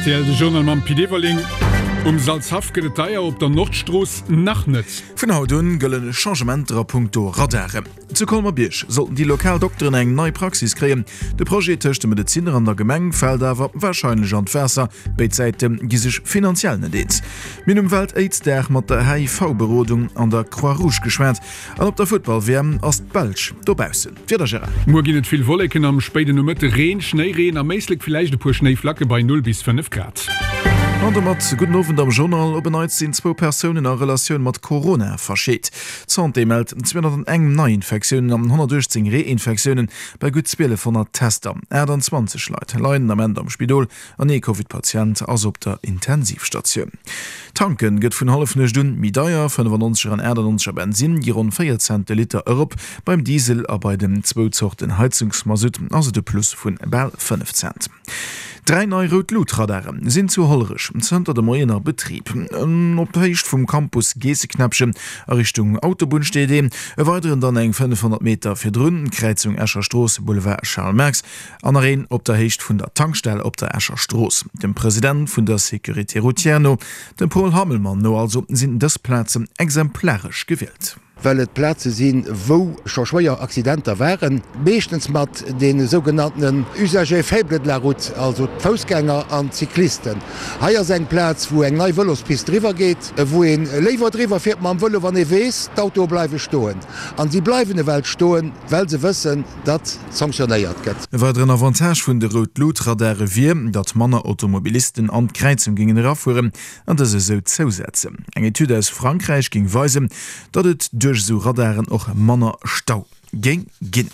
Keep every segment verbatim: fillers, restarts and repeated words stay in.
Rtl, de Journal mam Pit Everling. Um Salzhaff gëtt et deier, op der Nordstrooss nach net. Vun haut un gëllen Changementer a punkto Radaren. Zu Colmer-Bierg sollten déi lokal Dokteren eng nei Praxis kréien. De Projet tëscht de Medezinner an der Gemeng fält awer warscheinlech an d'Waasser. Béid Säite gi sech finanziell net eens. Mir hunn um Welt-Aids-Dag mat der H I V-Berodung an der Croix-Rouge geschwat. An op der Futtball-W M ass d'Belsch dobaussen. D'Wieder, Gérard? Muer ginn et vill Wolleken, am spéiden Nomëtte Reen, Schnéireen, am Éislek villäicht e puer Schnéiflacke bei null bis fënnef Grad. An domat gudden Owend am Journal. Op en Neits sinn zwou Persounen a Relatioun mat Corona verscheet. D'Santé mellt zweehonnerteneng Neiinfektiounen an honnertuechtzéng Reinfektiounen bei gutt zwielefhonnert Tester. aachtanzwanzeg Leit leien den Ament am Spidol an ee Covid-Patient ass op der Intensivstatioun. Tanken gëtt vun Hallefnuecht un méi deier, fënnefannonzeger an achtannonzeger Bensinn gi ronn véier Cent de Liter erop. Beim Diesel a bei den zwou Zorten Heizungsmasutt ass et e Plus vun bal fënnef Cent. Dräi nei Rout-Lut-Radare sinn zu Hollerech zënter de Moien a Betrib. Op der Héicht vum Campus Geesseknäppchen a Richtung Autobunn steet een, e weideren dann eng fënnefhonnert Meter virdrun, Kräizung Escher Strooss, Boulevard Charles Marx, an nach een op der Héicht vun der Tankstell op der Escher Strooss. Dem President vun der Sécurité routière no, dem Paul Hammelmann no also, sinn dës Plazen exemplaresch gewielt. Well et Plaze sinn, wou scho schwéier Accidenter waren, meeschtens mat deene sougenanntenen Usagers faibles de la route, also d'Foussgänger an d'Cyclisten. Hei ass eng Plaz, wou eng nei Vëlospist driwwer geet, wou ee léiwer driwwer fiert mam Vëlo, wann ee weess, d'Autoe bleiwe stoen. An si bleiwen ewell stoen, well se wëssen, datt sanktionéiert gëtt. E weideren Avantage vun de Rout-Lut-Radare wier, datt manner Automobilisten an d'Kräizung géingen erafueren an dës esou zousetzen. Eng Etüd aus Frankräich géing weisen, datt et duerch esou Radaren och manner Stau géing ginn.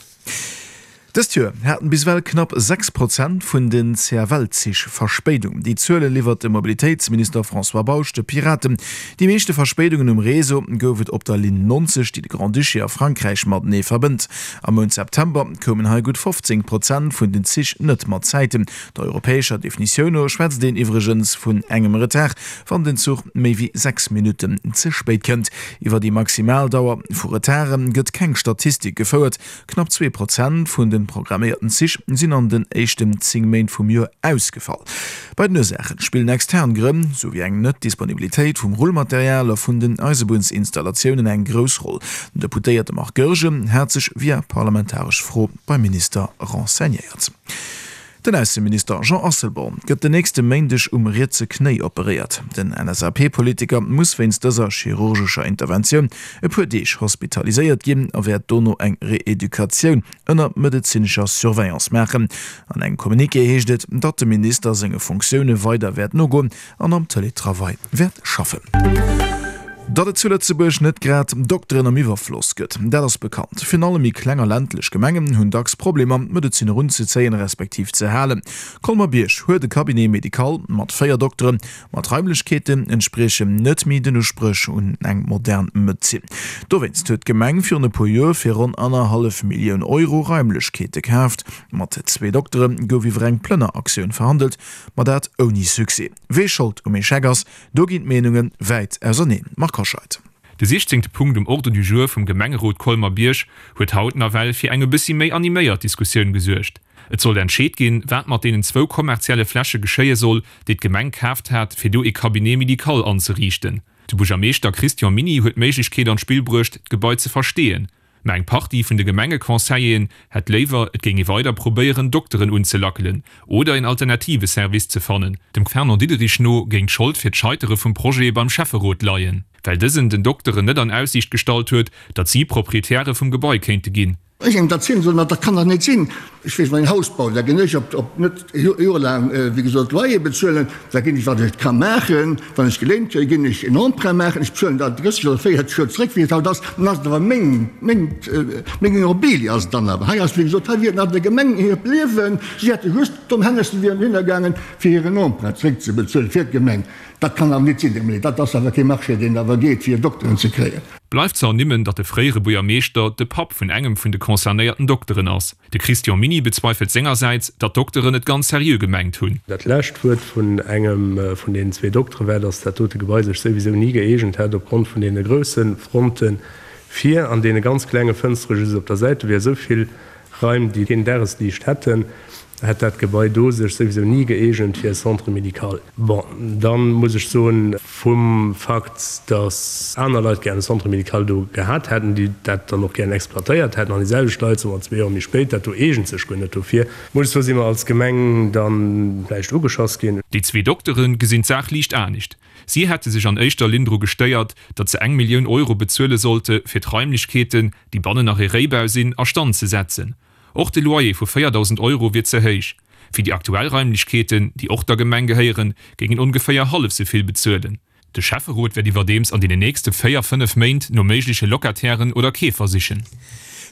Dëst Joer haten bis ewell knapp sechs Prozent vun den C F L-Zich Verspéidung. Déi Zuele liwwert de Mobilitéitsminister François Bausch de Piraten. Déi meeschte Verspéidungen um Réseau gouf et op der Linn neunzeg, déi de Grand-Duché a Frankräich matenee verbënnt. Am Mount September koumen hei gutt fofzéng Prozent vun den Zich net mat Zäiten. Der europäescher Definitioun no schwätzt een iwwregens vun engem Retard, wann den Zuch méi wéi sechs Minutten ze spéit kënnt. Iwwer déi Maximaldauer vu Retarde gëtt keng Statistik gefouert. Knapp zwee Prozent vun den programméierten Zich sinn an den éischten zéng Méint vum Joer ausgefall. Bei den Ursaachen spillen extern Grënn, sou wéi eng Net-Disponibilitéit vum Rullmaterial a vun den Eisebunnsinstallatiounen eng grouss Roll. Den Deputéierte Marc Goergen hat sech via parlamentaresch Fro beim Minister renseignéiert. Den Ausseminister Jean Asselborn gëtt den nächste Méindeg um rietse Knéi operéiert. Den L S A P-Politiker muss wéinst dëser chirurgescher Interventioun e puer Deeg hospitaliséiert ginn a wäert dono eng Reeducatioun ënner medezinescher Surveillance maachen. An engem Communiqué heescht et, datt de Minister senge Funktioune weider wäert nogoen an am Teletravail wäert schaffen. Datt et zu Lëtzebuerg net grad Dokteren am Iwwerfloss gëtt, dat ass bekannt. Virun allem méi kleng a ländlech Gemengen hunn dacks Problemer, Medeziner unzezéien respektiv ze halen. Colmer-Bierg huet e Cabinet médical mat véier Dokteren, ma d'Raimlechkeeten entspriechen net méi den Uspréch un eng modern Medezin. Dowéinst huet d'Gemeng virun e puer Joer fir ronn annerhallef Millioun Euro Raimlechkeete kaaft. Mat zwee Doktere gouf iwwer eng Plënneraktioun verhandelt, ma dat ouni Succès. Wee Schold um Echec ass, do ginn d'Meenunge wäit auserneen. Marc Hoscheid. De siechzehnte Punkt um Ordre du jour vum Gemengerot Colmer-Bierg huet haut nawell fir eng e bëssi méi animéiert Diskussioun gesuergt. Et soll entscheet ginn, wat mat deenen zwou kommerzielle Fläche geschéie soll, déi d'Gemeng kaaft hat, fir do e Cabinet médical anzeriichten. De Buergermeeschter Christian Miny huet d'Méiglechkeet an d'Spill bruecht, d'Gebai ze verstehen. Ma eng Partie vun de Gemengeconseilleren hätt léiwer, et géing ee weider probéieren, Dokteren unzelackelen oder en alternative Service ze fannen. Dem Fernand Diederich no géing d'Schold fir d'Scheitere vum Projet beim Schäfferot leien, well dësen den Dokteren net an Aussiicht gestallt huet, datt si Proprietäre vum Gebai kéinte ginn. Ech engem dat sinn, sondern dat kann doch net sinn. Ech weess, wann een Haus baut, da ginn ech op, op net jorelaang, wéi gesot, Loyer bezuelen, da ginn ech, wat ech ka maachen, wann ech geléint kréien, ginn ech en Emprunt maachen, ech bezuelen dat drësseg oder véierzeg Joer zréck, wéi et haut ass, dann ass et awer meng, meng, meng Immobilie ass et dann awer. Hei ass, wéi gesot, hei wier et nach der Gemeng hiert Liewen, si hätte just domm Hännessen wieren hinnergaangen, fir hiren Emprunt zréckzebezuelen fir d'Gemeng. Dat kann awer net sinn, Här Minister. Dat ass awer kee Marché, deen awer geet, fir Dokteren ze kréien. Bleift ze ernimmen, datt de fréiere Buergermeeschter de Papp vun engem vun de concernéierten Dokteren ass. De Christian Miny bezweifelt sengersäits, datt d'Dokteren et ganz seriö gemengt hunn. Dat lescht Wuert vun engem vun deenen zwee Doktere war, datt dat dote Gebai sech souwisou ni gëeegent hätt, opgrond vun deene grousse Fronte vir an deene ganz klenge Fënstere just op der Säit. Do wier esou vill Raim, déi keen Dagesliicht hätten, hätt dat Gebai do sech souwisou ni gëeegent fir e Centre médical. Bon, da muss ech soen, vum Fakt, datt aner Leit gär e Centre médical do gehat hätten, déi dat dann och gären exploitéiert hätten, an déi selwecht Leit, soe mer zwee Joer méi spéit, dat do eegent sech guer net dofir, muss ech soen, si mer als Gemeng da vläicht ugeschoss ginn. Déi zwee Doktere gesinn d'Saach liicht anescht. Si hätte sech an éischter Linn dru gestéiert, datt se eng Millioun Euro bezuele sollte fir d'Raimlechkeeten, déi bannen nach ee Réibau sinn, a Stand ze setzen. Och de Loyer vu véierdausend Euro wier ze héich. Fir déi aktuell Raimlechkeeten, déi och der Gemeng gehéieren, géing een ongeféier hallef sou vill bezuelen. De Schäfferot wäert iwwerdeems an deenen nächste véier, fënnef Méint no méigleche Locatairen oder Keefer sichen.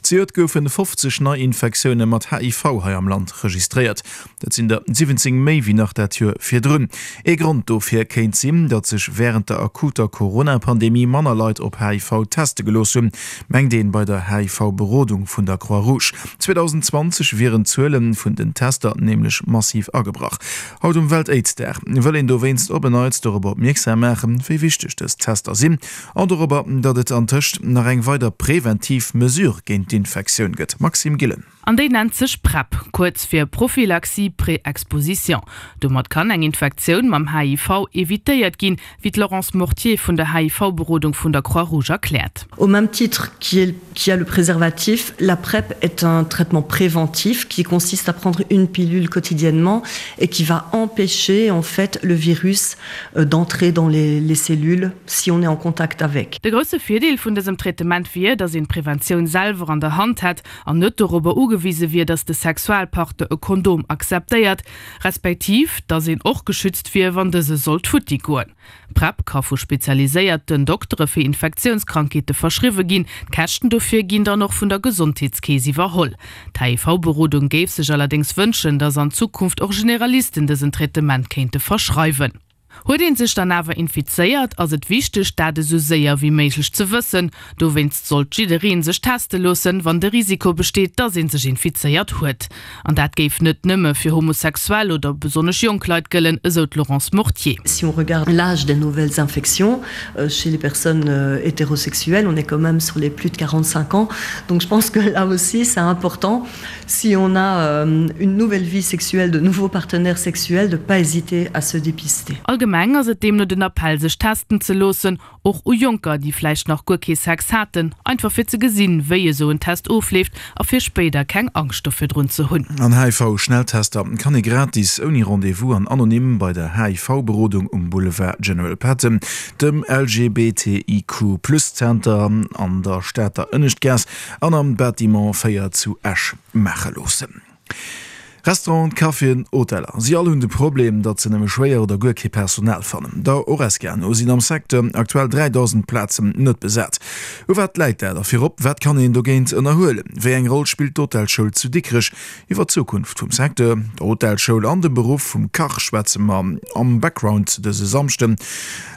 Zejoert goufe fofzeg Neiinfektioune mat H I V hei am Land registréiert. Dat sinn der siwwenzéng méi wéi nach dat Joer virdrun. Ee Grond dofir kéint sinn, datt sech wärend der akuter Corona-Pandemie manner Leit op H I V teste gelooss hunn, mengt een bei der H I V-Berodung vun der Croix-Rouge. zweedausendzwanzeg wieren d'Zuele vun den Tester nämlech massiv agebrach. Haut um Welt-Aids-Dag wëll een dowéinst op en Neits dorobber opmierksam maachen, wéi wichteg dës Tester sinn an dorobber, datt et antëscht nach eng weider preventiv Mesure géint d'Infektioun gëtt. Maxime Gillen. An déi nennt sech PrEP, kuerz fir Prophylaxie pré-exposition. Domat kann eng Infektioun mam H I V evitéiert ginn, wéi d'Laurence Mortier vun der H I V-Berodung vun der Croix-Rouge erkläert. Au même titre qu'il y a le préservatif, la PrEP est un traitement préventif qui consiste à prendre une pilule quotidiennement et qui va empêcher en fait le virus d'entrer dans les, les cellules si on est en contact avec. De grousse Virdeel vun dësem Traitement wier, datt een d'Preventioun selwer an der Hand hätt an net dorobber ugewise wier, datt de Sexualpartner e Kondom akzeptéiert, respektiv datt een och geschützt wier, wann dëse sollt futti goen. PrEP ka vu spezialiséierten Doktere fir Infektiounskrankheete verschriwwe ginn. D'Käschten dofir ginn dann och vun der Gesondheetskeess iwwerholl. D'H I V-Berodung géif sech allerdéngs wënschen, datt an Zukunft och Generalisten dësen Traitement kéinte verschreiwen. Huet een sech dann awer infizéiert, ass et wichteg, dat esou séier wéi méiglech ze wëssen. Dowéinst sollt jiddereen sech teste loossen, wann de Risiko besteet, datt een sech infizéiert huet. An dat géif net nëmme fir homosexuell oder besonnesch jonk Leit gëllen, esou d'Laurence Mortier. Si on regarde l'âge des nouvelles infections, chez les personnes hétérosexuelles, on est quand même sur les plus de quarante-cinq ans. Donc je pense que là aussi, c'est important, si on a une nouvelle vie sexuelle, de nouveaux partenaires sexuels, de pas hésiter à se dépister. Allgemeng ass et deemno den Appell, sech testen ze loossen, och u Jonker, déi vläicht nach guer kee Sex haten, einfach fir ze gesinn, wéi esou en Test ofleeft a fir spéider keng Angscht dofir drun ze hunn. An H I V-Schnelltester kann ee gratis, ouni Rendez-vous an anonym bei der H I V-Berodung um Boulevard General Patton, dem L G B T I Q plus Zenter an der Stater Ënneschtgaass an am Bâtiment véier zu Esch maache loossen. Restauranten, Caféen, Hoteller, si all hunn de Problem, datt se nëmme schwéier oder guer kee Personal fannen. Der Horesca no sinn am Secteur aktuell dräidausend Plazen net besat. U wat läit dat a virop, wat kann een dogéint ënnerhuelen? Wéi eng Roll spillt d'Hotelschoul zu Dikrech? Iwwer d'Zukunft vum Secteur, der Hotelschoul an dem Beruff vum Kach schwätze mer am Background dëse Samschden.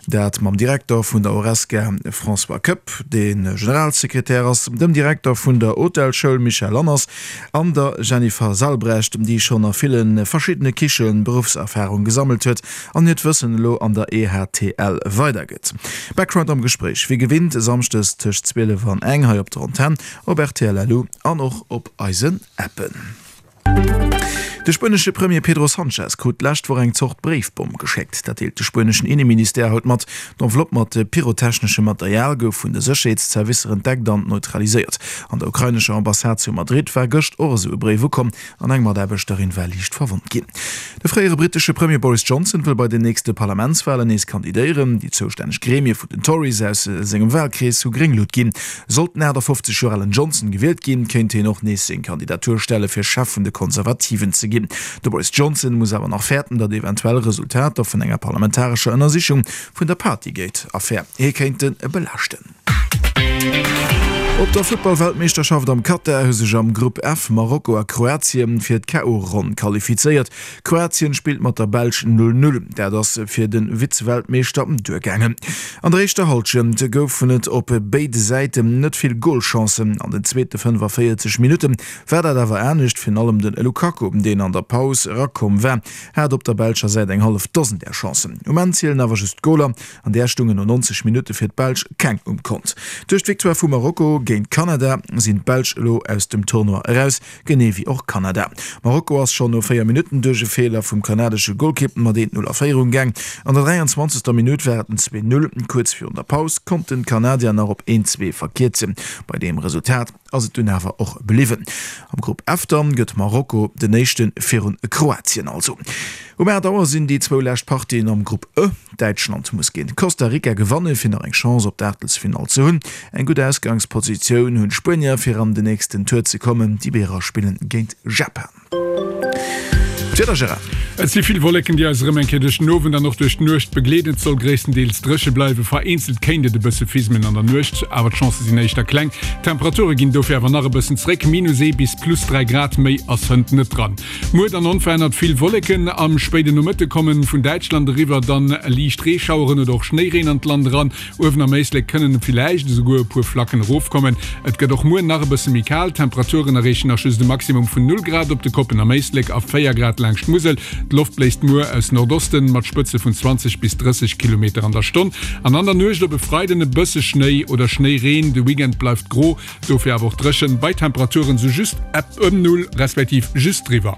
Dat mam Direkter vun der Horesca François Koepp, dee Generalsekretär ass, dem Direkter vun der Hotelschoul Michel Lanners an der Jennifer Salbrecht, déi schonn a ville verschiddene Kiche Beruffserfarung gesammelt huet an hiert Wëssen elo an der E H T L weidergëtt. Background am Gespréich, wéi gewinnt samschdes tëscht zwielef an eng hei op der Antenn, op R T L L U an och op eisen Appen. De spuenesche Premier Pedro Sánchez krut d'lescht Woch eng Zort Bréifbomm geschéckt. Dat deelt de spueneschen Inneministère haut mat. D'Enveloppe mat pyrotechneschem Material gouf vun de Sécherheetszervicer entdeckt an neutraliséiert. An der ukrainescher Ambassade zu Madrid war gëscht och esou e Bréif ukomm an eng Mataarbechterin war liicht verwonnt ginn. De fréiere brittesche Premier Boris Johnson wëll bei den nächste Parlamentswahlen nees kandidéieren. Déi zoustänneg Gremie vun den Tories aus sengem Wahlkrees hu gréng Lut ginn. Sollt den achtafofzeg Joer alen Johnson gewielt ginn, kéint hien och nees seng Kandidatur stelle fir Chef vun de Konservativen ze ginn. De Boris Johnson muss awer nach fäerten, datt eventuell Resultater vun enger parlamentarescher Ënnersichung vun der Partygate-Affär hie kéinte belaaschten. Op der Futtballweltmeeschterschaft am Katar hu sech am Grupp F Marokko a Kroatien fir d'K O-Ronn qualifizéiert. Kroatien spillt mat der Belsch null null. Dat ass fir de Vize-Weltmeeschter duergaangen. An der éischter Hallschent goufen et op béide Säiten net vill Golchancen. An den zweete fënnefaféierzeg Minutte war dat awer anescht, virun allem den Lukaku, deen an der Paus erakomm war, hat op der belscher Säit eng hallef Dosen där Chancen. Um Enn zielen awer just d'Goler, an där stungen no neunzeg Minutte fir d'Belsch keng um Kont. Duerch d'Victoire vu Marokko géint Kanada sinn d'Belsch elo aus dem Tournoi eraus, genee wéi och Kanada. Marokko ass schonn no véier Minutten duerch e Feeler vum kanadesche Golkipp mat eent Null a Féierung gaang. An der dräianzwanzegster Minutt war et en zwee Null. Kuerz virun der Paus konnten d'Kanadier nach op een Zwee verkierzen. Bei deem Resultat ass et dunn awer och bliwwen. Am Grupp F dann gëtt Marokko den éischten virun Kroatien also. Um aacht Auer sinn déi zwou lescht Partien am Grupp E. Däitschland muss géint Costa Rica gewanne fir nach eng Chance op d'Aachtelsfinall ze hunn. Eng gutt Ausgangspositioun hunn d'Spuenier fir an den nächsten Tour ze kommen. Déi Bierer spillen géint Japan. D'Wieder, Gérard. Et si vill Wolleken, déi eis erëm eng Kéier duerch den Owend an och duerch d'Nuecht begleeden. Et soll gréisstendeels dréche bleiwen, vereenzelt kéint et e bësse fismen an der Nuecht, awer d'Chancë sinn éischter kleng. D'Temperature ginn dofir awer nach e bëssen zréck, minus ee bis plus dräi Grad, méi ass hënt net dran. Muer dann onverännert vill Wolleken, am spéiden Nomëtte kommen vun Däitschland eriwwer dann liicht Reeschaueren oder och Schnéireen an d'Land eran. Uewen am Éislek kënnen villäicht esouguer e puer Flacken erofkommen. Et gëtt och muer nach e bësse méi kal, d'Temperaturen erreechen nach just e Maximum vun null Grad op de Koppen am Éislek a véier Grad laangscht d'Musel. D'Loft bléist muer aus Nordosten mat Spëtze vun zwanzeg bis drësseg Kilometer an der Stonn an an der Nuecht op e Freiden e bësse Schnéi oder Schnéireen. De Weekend bleift gro, dofir awer och dréchen, bei Temperaturen sou just ëm Null respektiv just driwwer.